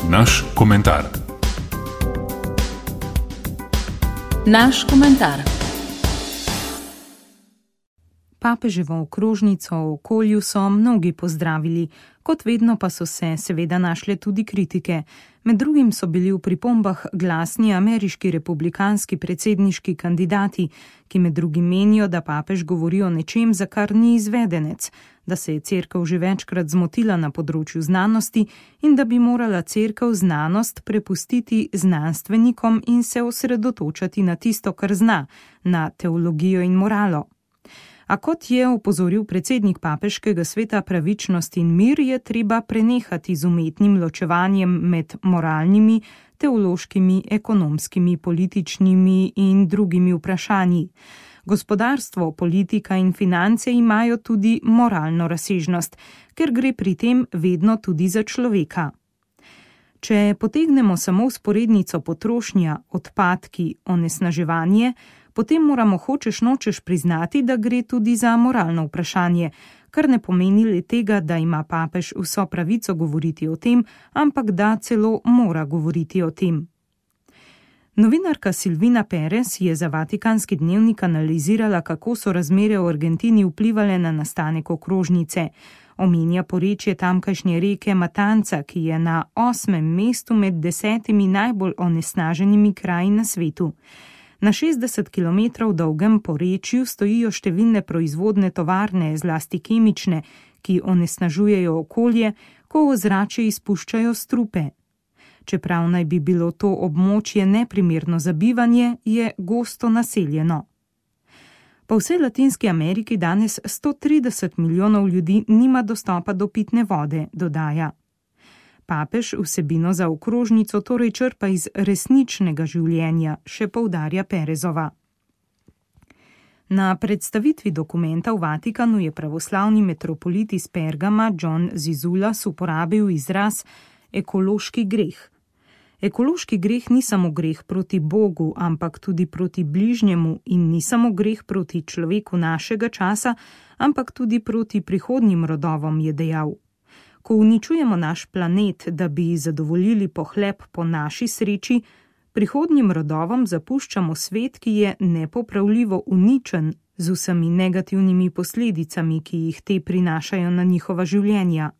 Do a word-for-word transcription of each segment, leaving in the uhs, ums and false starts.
Naš komentar. Naš komentar. Papeževo okrožnico o okolju so mnogi pozdravili, kot vedno pa so se seveda našle tudi kritike. Med drugim so bili v pripombah glasni ameriški republikanski predsedniški kandidati, ki med drugim menijo, da papež govori o nečem, za kar ni izvedenec, da se je cerkev že večkrat zmotila na področju znanosti in da bi morala cerkev znanost prepustiti znanstvenikom in se osredotočati na tisto, kar zna, na teologijo in moralo. A kot je opozoril predsednik papeškega sveta pravičnost in mir, je treba prenehati z umetnim ločevanjem med moralnimi, teološkimi, ekonomskimi, političnimi in drugimi vprašanji. Gospodarstvo, politika in finance imajo tudi moralno razsežnost, ker gre pri tem vedno tudi za človeka. Če potegnemo samo vzporednico potrošnja, odpadki, onesnaževanje, potem moramo hočeš nočeš priznati, da gre tudi za moralno vprašanje, kar ne pomeni le tega, da ima papež vso pravico govoriti o tem, ampak da celo mora govoriti o tem. Novinarka Silvina Perez je za Vatikanski dnevnik analizirala, kako so razmere v Argentini vplivale na nastanek okrožnice. Omenja porečje tamkajšnje reke Matanca, ki je na osmem mestu med desetimi najbolj onesnaženimi kraji na svetu. Na šestdeset kilometrov dolgem porečju stojijo številne proizvodne tovarne, zlasti kemične, ki onesnažujejo okolje, ko v ozračje izpuščajo strupe. Čeprav naj bi bilo to območje neprimerno za bivanje, je gosto naseljeno. Po vsej Latinski Ameriki danes sto trideset milijonov ljudi nima dostopa do pitne vode, dodaja. Papež vsebino za okrožnico torej črpa iz resničnega življenja, še poudarja Perezova. Na predstavitvi dokumenta v Vatikanu je pravoslavni metropolit iz Pergama John Zizulas uporabil izraz ekološki greh. Ekološki greh ni samo greh proti Bogu, ampak tudi proti bližnjemu in ni samo greh proti človeku našega časa, ampak tudi proti prihodnjim rodovom, je dejal. Ko uničujemo naš planet, da bi zadovoljili pohlep po naši sreči, prihodnjim rodovom zapuščamo svet, ki je nepopravljivo uničen z vsemi negativnimi posledicami, ki jih te prinašajo na njihova življenja.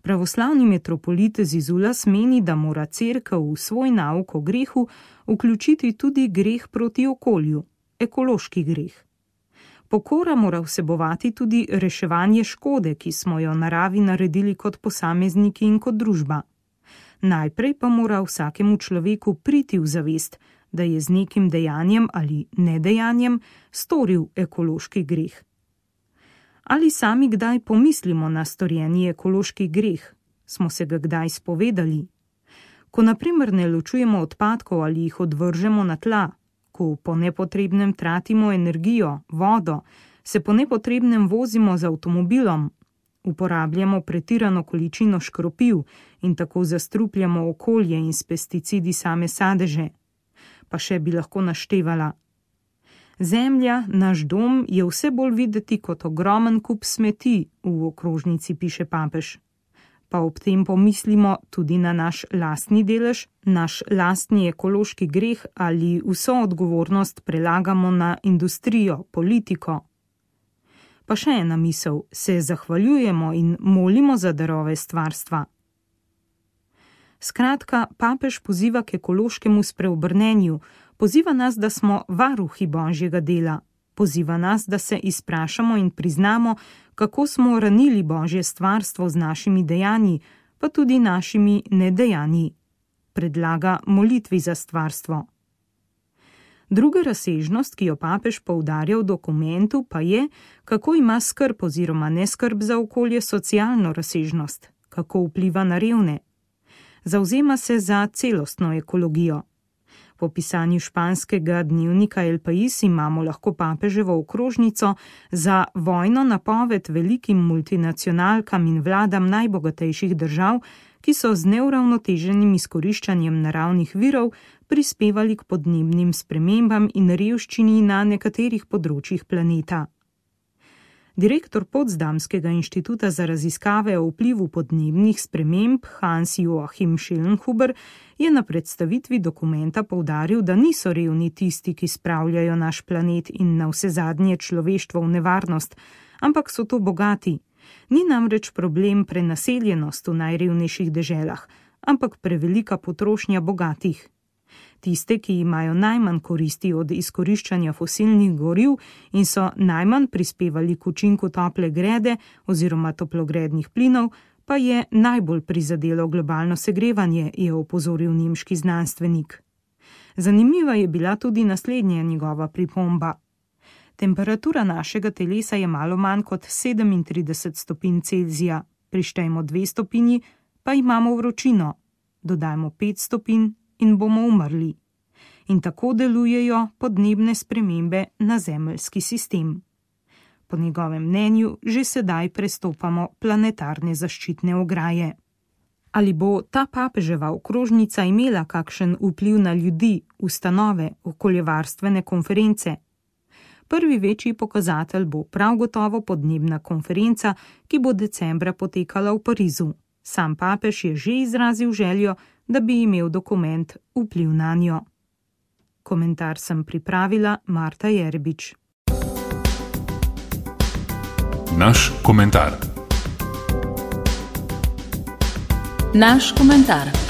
Pravoslavni metropolit Zizulas meni, da mora cerkev v svoj nauk o grehu vključiti tudi greh proti okolju, ekološki greh. Pokora mora vsebovati tudi reševanje škode, ki smo jo naravi naredili kot posamezniki in kot družba. Najprej pa mora vsakemu človeku priti v zavest, da je z nekim dejanjem ali nedejanjem storil ekološki greh. Ali sami kdaj pomislimo na storjeni ekološki greh? Smo se ga kdaj spovedali? Ko na primer ne ločujemo odpadkov ali jih odvržemo na tla, ko po nepotrebnem tratimo energijo, vodo, se po nepotrebnem vozimo z avtomobilom, uporabljamo pretirano količino škropiv in tako zastrupljamo okolje in s pesticidi same sadeže. Pa še bi lahko naštevala. Zemlja, naš dom, je vse bolj videti kot ogromen kup smeti, v okrožnici piše papež. Pa ob tem pomislimo tudi na naš lastni delež, naš lastni ekološki greh ali vso odgovornost prelagamo na industrijo, politiko. Pa še ena misel, se zahvaljujemo in molimo za darove stvarstva. Skratka, papež poziva k ekološkemu spreobrnenju, poziva nas, da smo varuhi Božjega dela, poziva nas, da se izprašamo in priznamo, kako smo ranili Božje stvarstvo z našimi dejanji, pa tudi našimi nedejanji. Predlaga molitvi za stvarstvo. Druga razsežnost, ki jo papež poudarja v dokumentu, pa je, kako ima skrb oziroma neskrb za okolje socialno razsežnost, kako vpliva na revne. Zavzema se za celostno ekologijo. Po pisanju španskega dnevnika El País imamo lahko papeževo okrožnico za vojno napoved velikim multinacionalkam in vladam najbogatejših držav, ki so z neuravnoteženim izkoriščanjem naravnih virov prispevali k podnebnim spremembam in revščini na nekaterih področjih planeta. Direktor Potsdamskega inštituta za raziskave o vplivu podnebnih sprememb Hans-Joachim Schellnhuber je na predstavitvi dokumenta poudaril, da niso revni tisti, ki spravljajo naš planet in navsezadnje človeštvo v nevarnost, ampak so to bogati. Ni namreč problem prenaseljenost v najrevnejših deželah, ampak prevelika potrošnja bogatih. Tiste, ki imajo najmanj koristi od izkoriščanja fosilnih goriv in so najmanj prispevali k učinku tople grede oziroma toplogrednih plinov, pa je najbolj prizadelo globalno segrevanje, je opozoril nemški znanstvenik. Zanimiva je bila tudi naslednja njegova pripomba. Temperatura našega telesa je malo manj kot sedemintrideset stopinj Celzija, prištejmo dve stopinji, pa imamo vročino, dodajmo pet stopinj in bomo umrli. In tako delujejo podnebne spremembe na zemeljski sistem. Po njegovem mnenju že sedaj prestopamo planetarne zaščitne ograje. Ali bo ta papeževa okrožnica imela kakšen vpliv na ljudi, ustanove, okoljevarstvene konference? Prvi večji pokazatelj bo prav gotovo podnebna konferenca, ki bo decembra potekala v Parizu. Sam papež je že izrazil željo, da bi imel dokument vpliv na njo. Komentar sem pripravila Marta Jerbič. Naš komentar. Naš komentar.